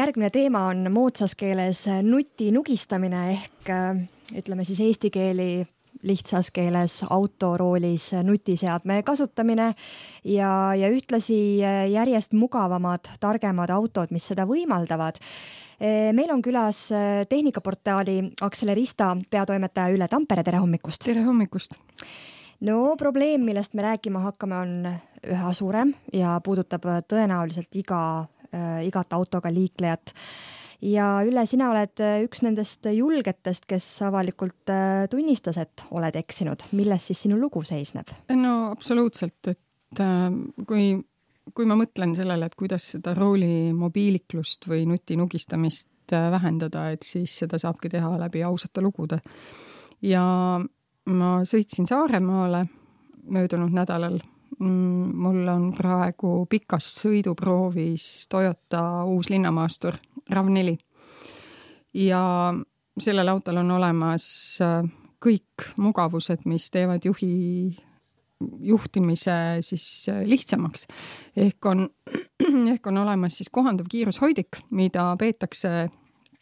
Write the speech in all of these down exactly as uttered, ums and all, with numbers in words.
järgmine teema on moodsas keeles nuti nugistamine ehk ütleme siis eesti keeli lihtsas keeles autoroolis nutiseadme kasutamine ja, ja ühtlasi järjest mugavamad, targemad autod, mis seda võimaldavad. Meil on külas tehnikaportaali Accelerista peatoimetaja Ülle Tampere, tere hommikust! Tere hommikust! No probleem, millest me rääkima hakkame, on üha suurem ja puudutab tõenäoliselt iga, igat autoga liiklejat. Ja Ülle, sina oled üks nendest julgetest, kes avalikult tunnistas, et oled eksinud. Milles siis sinu lugu seisneb? No absoluutselt, et kui, kui ma mõtlen sellele, et kuidas seda rooli mobiiliklust või nuti nugistamist vähendada, et siis seda saabki teha läbi ausate lugude. Ja ma sõitsin Saaremaale möödunud nädalal. Mul on praegu pikas sõiduproovis Toyota uus linnamaastur RAV neli. Ja sellel autol on olemas kõik mugavused, mis teevad juhi juhtimise siis lihtsamaks. Ehk on, ehk on olemas siis kohanduv kiirushoidik, mida peetakse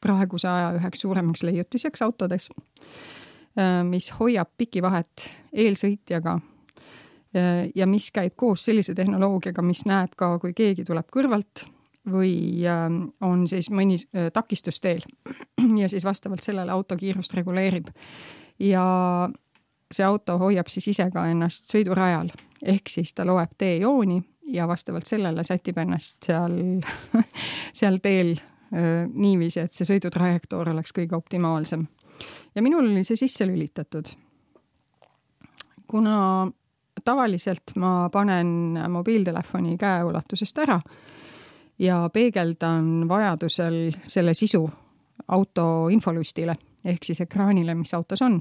praeguse aja üheks suuremaks leiutiseks autodes, mis hoiab pikivahet eelsõitjaga ja mis käib koos sellise tehnoloogiaga, mis näeb ka, kui keegi tuleb kõrvalt või on siis mõni takistusteel ja siis vastavalt sellele auto kiirust reguleerib. Ja see auto hoiab siis ise ka ennast sõidurajal, ehk siis ta loeb teejooni ja vastavalt sellele sätib ennast seal, seal teel niiviisi, et see sõidutrajektoor oleks kõige optimaalsem. Ja minul oli see sisse lülitatud. Kuna tavaliselt ma panen mobiiltelefoni käeulatusest ära ja peegeldan vajadusel selle sisu auto infolustile, ehk siis ekraanile, mis autos on,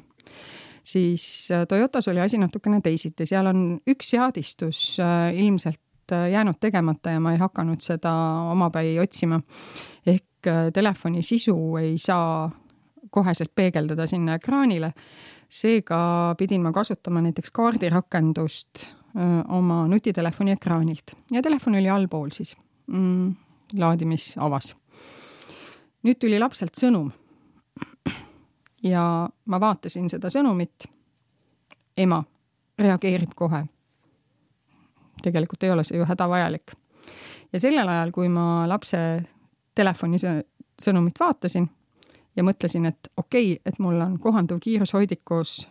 siis Toyotas oli asi natukene teisiti. Seal on üks seadistus ilmselt jäänud tegemata ja ma ei hakanud seda omapäi otsima. Ehk telefoni sisu ei saa koheselt peegeldada sinna ekraanile. Seega pidin ma kasutama näiteks kaardirakendust öö, oma nutitelefoni ekraanilt. Ja telefon oli allpool siis. Mm, laadimis avas. Nüüd tuli lapselt sõnum. Ja ma vaatasin seda sõnumit. Ema reageerib kohe. Tegelikult ei ole see ju hädavajalik. Ja sellel ajal, kui ma lapse telefoni sõnumit vaatasin, ja mõtlesin, et okei, et mul on kohanduv kiirushoidikus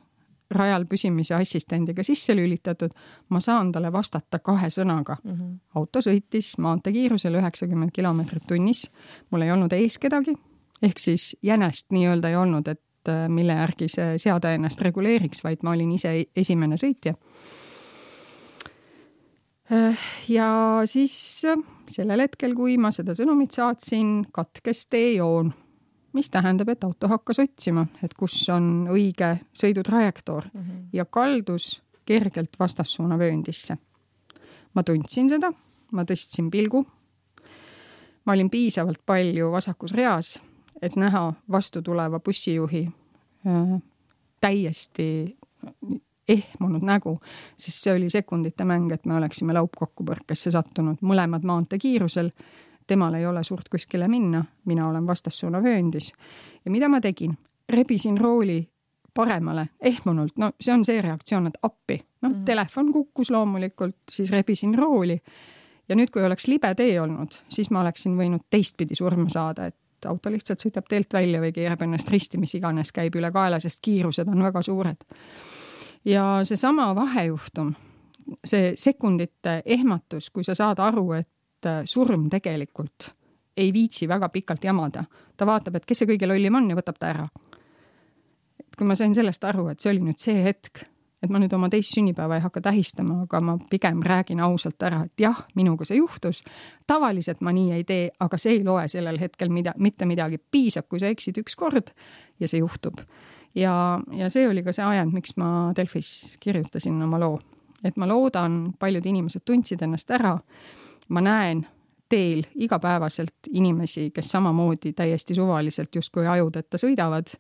rajal püsimise assistendiga sisse lülitatud, ma saan talle vastata kahe sõnaga. Mm-hmm. Auto sõitis maantekiirusel üheksakümmend kilomeetrit tunnis. Mul ei olnud ees kedagi, ehk siis jänest nii-öelda ei olnud, et mille järgi see seade ennast reguleeriks, vaid ma olin ise esimene sõitja. Ja siis sellel hetkel, kui ma seda sõnumit saatsin, katkes teejoon, mis tähendab, et auto hakkas otsima, et kus on õige sõidutrajektoor mm-hmm. ja kaldus kergelt vastassuuna vööndisse. Ma tundsin seda, ma tõstsin pilgu. Ma olin piisavalt palju vasakus reas, et näha vastu tuleva bussijuhi äh, täiesti ehmunud nägu, sest see oli sekundite mäng, et me oleksime laupkokkupõrkesse sattunud mõlemad maante kiirusel. Temal ei ole suurt kuskile minna, mina olen vastassuuna vööndis. Ja mida ma tegin? Rebisin rooli paremale, ehmunult. No see on see reaktsioon, et appi. No, mm. Telefon kukkus loomulikult, siis rebisin rooli. Ja nüüd, kui oleks libe tee olnud, siis ma oleksin võinud teistpidi surma saada, et auto lihtsalt sõitab teelt välja või keerab ennast risti, mis iganes käib üle kaela, sest kiirused on väga suured. Ja see sama vahejuhtum, see sekundite ehmatus, kui sa saad aru, et surm tegelikult ei viitsi väga pikalt jamada. Ta vaatab, et kes see kõige lollim on ja võtab ta ära. Kui ma sain sellest aru, et see oli nüüd see hetk, et ma nüüd oma teist sünnipäeva ei hakka tähistama, aga ma pigem räägin ausalt ära, et jah, minuga see juhtus. Tavaliselt ma nii ei tee, aga see ei loe sellel hetkel mida, mitte midagi. Piisab, kui sa eksid üks kord ja see juhtub. Ja, ja see oli ka see ajend, miks ma Delfis kirjutasin oma loo. Et ma loodan, paljud inimesed tundsid ennast ära. Ma näen teel igapäevaselt inimesi, kes samamoodi täiesti suvaliselt justkui ajudeta sõidavad,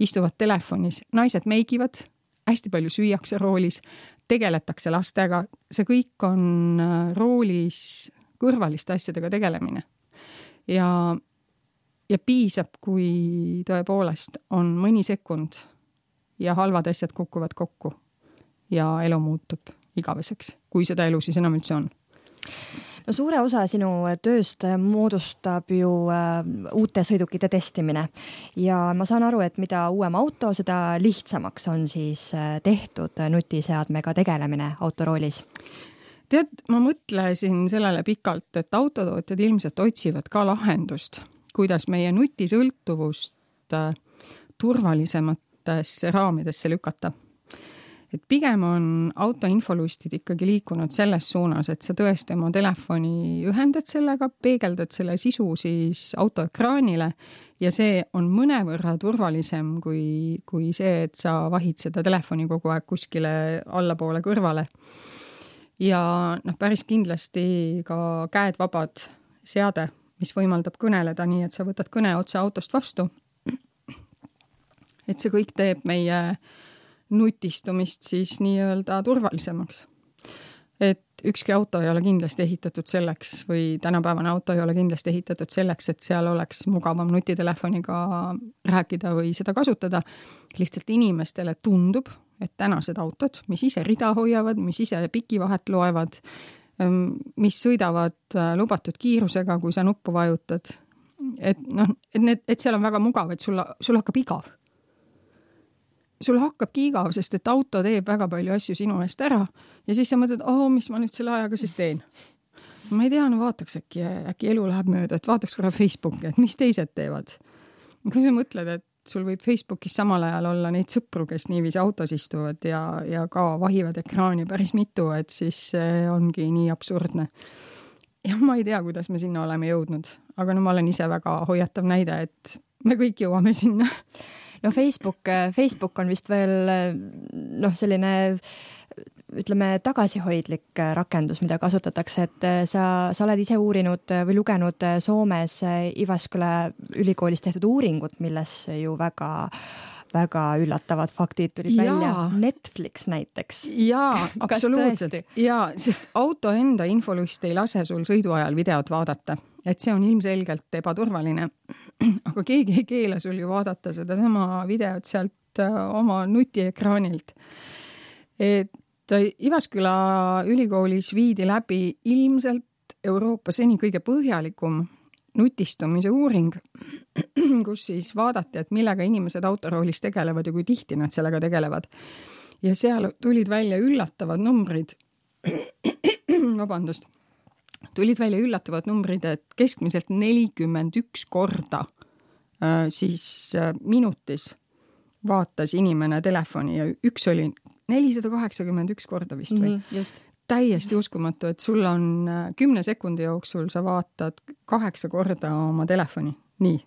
istuvad telefonis, naised meigivad, hästi palju süüakse roolis, tegeletakse lastega, see kõik on roolis kõrvaliste asjadega tegelemine. Ja ja piisab, kui tõepoolest on mõni sekund ja halvad asjad kukuvad kokku ja elu muutub igaveseks, kui seda elu siis enam üldse on. No suure osa sinu tööst moodustab ju uute sõidukite testimine ja ma saan aru, et mida uuem auto, seda lihtsamaks on siis tehtud nutiseadmega tegelemine autoroolis. Tead, ma mõtlesin sellele pikalt, et autotootjad ilmselt otsivad ka lahendust, kuidas meie nutisõltuvust turvalisematesse raamidesse lükata. Et pigem on autoinfolustid ikkagi liikunud selles suunas, et sa tõesti oma telefoni ühendad sellega, peegeldad selle sisu siis autoekraanile ja see on mõnevõrra turvalisem kui, kui see, et sa vahid seda telefoni kogu aeg kuskile allapoole kõrvale. Ja noh, päris kindlasti ka käed vabad seade, mis võimaldab kõneleda nii, et sa võtad kõne otse autost vastu. Et see kõik teeb meie nutistumist siis nii-öelda turvalisemaks. Et ükski auto ei ole kindlasti ehitatud selleks või tänapäevane auto ei ole kindlasti ehitatud selleks, et seal oleks mugavam nutitelefoniga rääkida või seda kasutada. Lihtsalt inimestele tundub, et tänased autod, mis ise rida hoiavad, mis ise pikivahet loevad, mis sõidavad lubatud kiirusega, kui sa nuppu vajutad, et, noh, et, need, et seal on väga mugav, et sul, sul hakkab igav. Sul hakkabki igav, sest et auto teeb väga palju asju sinu eest ära ja siis sa mõtled, oh, mis ma nüüd selle ajaga siis teen. Ma ei tea, no vaataks äkki, äkki elu läheb mööda, et vaataks korra Facebooki, et mis teised teevad. Kui sa mõtled, et sul võib Facebookis samal ajal olla neid sõpru, kes niiviisi autos istuvad ja, ja ka vahivad ekraani päris mitu, et siis see ongi nii absurdne. Ja ma ei tea, kuidas me sinna oleme jõudnud, aga no ma olen ise väga hoiatav näide, et me kõik jõuame sinna. No Facebook, Facebook on vist veel noh, selline ütleme tagasihoidlik rakendus, mida kasutatakse, et sa, sa oled ise uurinud või lugenud Soomes Ivasküla ülikoolis tehtud uuringut, milles ju väga, väga üllatavad faktid tulid ja. Välja. Netflix näiteks. Jaa, absoluutselt. Jaa, sest auto enda infolust ei lase sul sõidu ajal videot vaadata. Et see on ilmselgelt ebaturvaline, aga keegi ei keela sul ju vaadata seda sama videot sealt oma nutiekraanilt. Et Ivasküla ülikoolis viidi läbi ilmselt Euroopa seni kõige põhjalikum nutistumise uuring, kus siis vaadati, et millega inimesed autoroolis tegelevad ja kui tihti nad sellega tegelevad. Ja seal tulid välja üllatavad numbrid, vabandust, tulid välja üllatavad numbrid, et keskmiselt nelikümmend üks korda äh, siis äh, minutis vaatas inimene telefoni ja üks oli nelisada kaheksakümmend üks korda vist või? Mm, just. Täiesti uskumatu, et sul on äh, kümne sekundi jooksul sa vaatad kaheksa korda oma telefoni. Nii.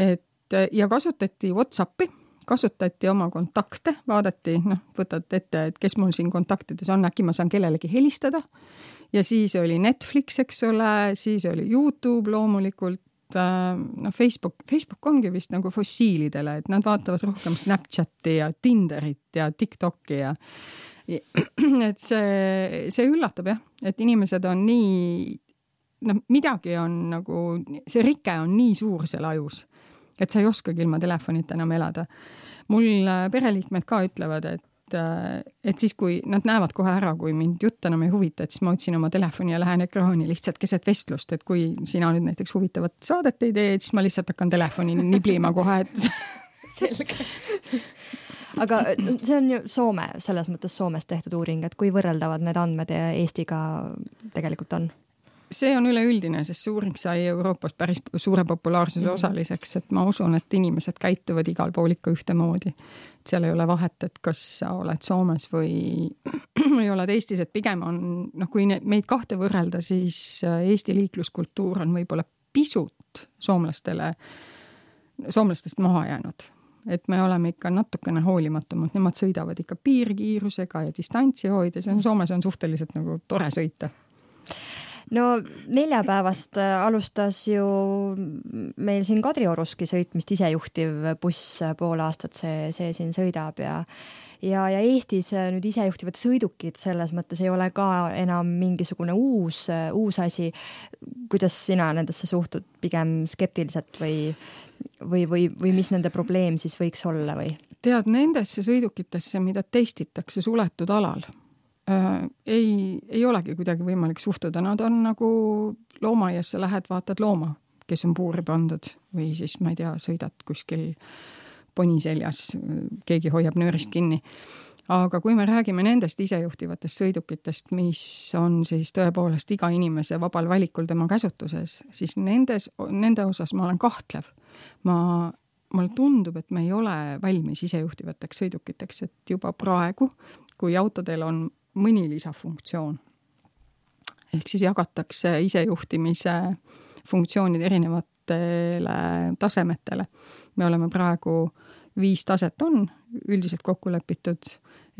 Et, ja kasutati WhatsAppi, kasutati oma kontakte, vaadati, noh, võtad ette, et kes mul siin kontaktides on, äkki ma saan kellelegi helistada. Ja siis oli Netflix, eks ole, siis oli YouTube loomulikult, no Facebook, Facebook ongi vist nagu fossiilidele, et nad vaatavad rohkem Snapchati ja Tinderit ja TikToki ja et see, see üllatab jah, et inimesed on nii, no midagi on nagu, see rike on nii suur seal ajus, et sa ei oskagi ilma telefonita enam elada. Mul pereliikmed ka ütlevad, et et siis, kui nad näevad kohe ära, kui mind jutt enam ei huvita, et siis ma otsin oma telefoni ja lähen ekraani lihtsalt keset vestlust, et kui sina nüüd näiteks huvitavat saadet ei tee, siis ma lihtsalt hakkan telefoni niblima kohe, et selge. Aga see on ju Soome, selles mõttes Soomes tehtud uuring, et kui võrreldavad need andmed Eestiga tegelikult on? See on üleüldine, sest see uuring sai Euroopas päris suure populaarsuse osaliseks, et ma usun, et inimesed käituvad igal pool ikka ühtemoodi. Seal ei ole vahet, et kas sa oled Soomes või ei oled Eestis, et pigem on, noh, kui meid kahte võrrelda, siis Eesti liikluskultuur on võib-olla pisut soomlastele, soomlastest maha jäänud. Et me oleme ikka natukene hoolimatumad, nemad sõidavad ikka piirkiirusega ja distantsi hoides, Soomes on suhteliselt nagu tore sõita. No neljapäevast alustas ju meil siin Kadrioruski sõitmist isejuhtiv buss pool aastat, see, see siin sõidab ja, ja, ja Eestis nüüd isejuhtivad sõidukid selles mõttes ei ole ka enam mingisugune uus, uus asi. Kuidas sina nendesse suhtud, pigem skeptiliselt või, või, või, või mis nende probleem siis võiks olla või? Tead, nendesse sõidukitesse, mida testitakse suletud alal, äh, ei, ei olegi kuidagi võimalik suhtuda. Nad on nagu loomaaiasse lähed, vaatad looma, kes on puuri pandud või siis, ma ei tea, sõidad kuskil poni seljas, keegi hoiab nöörist kinni. Aga kui me räägime nendest isejuhtivatest sõidukitest, mis on siis tõepoolest iga inimese vabal valikul tema käsutuses, siis nendes, nende osas ma olen kahtlev. Ma Mulle tundub, et me ei ole valmis isejuhtivateks sõidukiteks, et juba praegu, kui autodel on mõni lisafunktsioon, ehk siis jagatakse isejuhtimise funktsioonid erinevatele tasemetele. Me oleme praegu viis taset on üldiselt kokku lepitud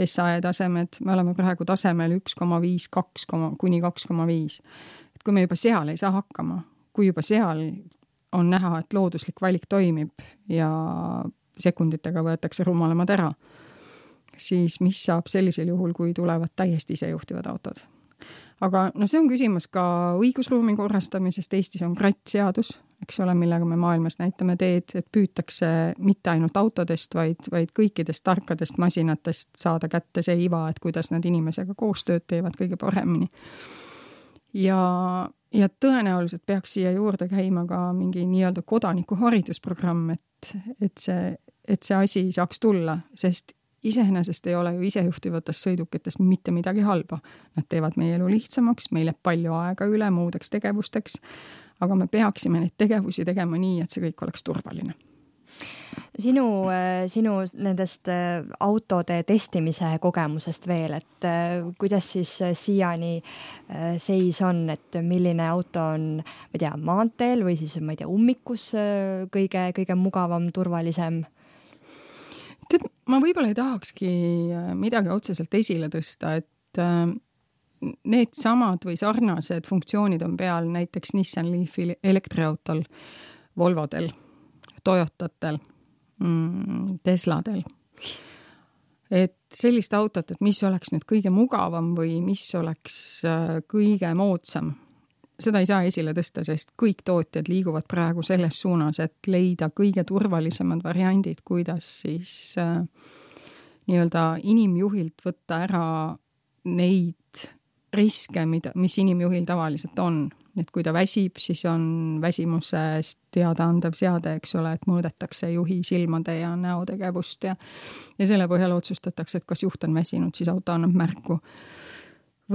S A E tasemed, me oleme praegu tasemel üks koma viis, kaks kuni kaks koma viis. Et kui me juba seal ei saa hakkama, kui juba seal on näha, et looduslik valik toimib ja sekunditega võetakse rumalamad ära, siis mis saab sellisel juhul, kui tulevad täiesti isejuhtivad autod. Aga no see on küsimus ka õigusruumi korrastamisest. Eestis on krattseadus, eks ole, millega me maailmas näitame teed, et püütakse mitte ainult autodest, vaid, vaid kõikidest tarkadest masinatest saada kätte see iva, et kuidas nad inimesega koostööd teevad kõige paremini. Ja Ja tõenäoliselt peaks siia juurde käima ka mingi nii-öelda kodaniku haridusprogramm, et, et, see, et see asi saaks tulla, sest iseenesest ei ole ju isejuhtivatest sõidukitest mitte midagi halba. Nad teevad meie elu lihtsamaks, meil jääb palju aega üle muudeks tegevusteks, aga me peaksime neid tegevusi tegema nii, et see kõik oleks turvaline. Sinu, sinu nendest autode testimise kogemusest veel, et kuidas siis siiani seis on, et milline auto on, ma ei tea, maanteel või siis, ma ei tea, ummikus kõige, kõige mugavam, turvalisem? Tead, ma võib-olla ei tahakski midagi otseselt esile tõsta, et need samad või sarnased funktsioonid on peal näiteks Nissan Leafi elektriautol, Volvodel, Toyotatel, Tesladel. Et sellist autot, et mis oleks nüüd kõige mugavam või mis oleks kõige moodsam, seda ei saa esile tõsta, sest kõik tootjad liiguvad praegu selles suunas, et leida kõige turvalisemad variandid, kuidas siis äh, nii-öelda inimjuhilt võtta ära neid riske, mida, mis inimjuhil tavaliselt on. Et kui ta väsib, siis on väsimusest teada andev seade, eks ole, et mõõdetakse juhi silmade ja näotegevust ja, ja selle põhjal otsustatakse, et kas juht on väsinud, siis auto annab märku.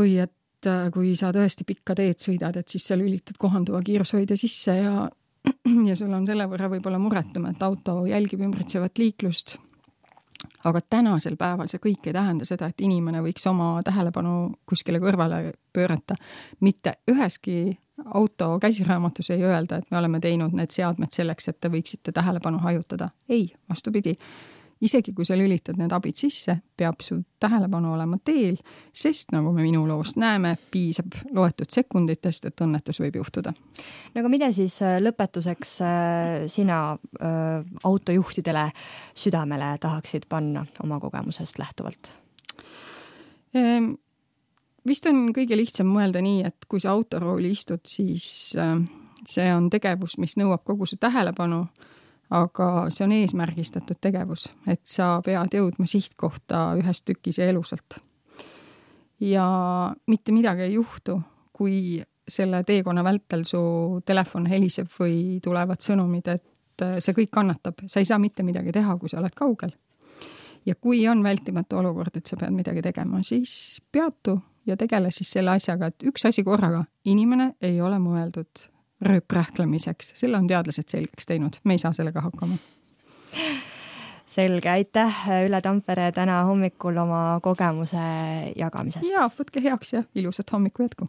Või et kui sa tõesti pikka teed sõidad, et siis sa lülitad kohanduva kiirushoidja sisse ja, ja sul on selle võrra võib-olla muretum, et auto jälgib ümbritsevat liiklust. Aga tänasel päeval see kõik ei tähenda seda, et inimene võiks oma tähelepanu kuskile kõrvale pöörata. Mitte üheski auto käsiraamatus ei öelda, et me oleme teinud need seadmed selleks, et te võiksite tähelepanu hajutada. Ei, vastupidi. Isegi kui sa lülitad need abid sisse, peab su tähelepanu olema teel, sest nagu me minu loost näeme, piisab loetud sekunditest, et õnnetus võib juhtuda. No aga mida siis lõpetuseks sina autojuhtidele südamele tahaksid panna oma kogemusest lähtuvalt? Ehm, vist on kõige lihtsam mõelda nii, et kui sa autorooli istud, siis see on tegevus, mis nõuab kogu su tähelepanu, aga see on eesmärgistatud tegevus, et sa pead jõudma sihtkohta ühest tükis ja elusalt. Ja mitte midagi ei juhtu, kui selle teekonna vältel su telefon heliseb või tulevad sõnumid, et see kõik kannatab. Sa ei saa mitte midagi teha, kui sa oled kaugel. Ja kui on vältimatu olukord, et sa pead midagi tegema, siis peatu ja tegele siis selle asjaga, et üks asi korraga. Inimene ei ole mõeldud rööprähklemiseks. Selle on teadlased selgeks teinud. Me ei saa sellega hakkama. Selge, aitäh Ülle Tampere täna hommikul oma kogemuse jagamisest. Ja, võtke heaks ja ilusat hommiku jätku.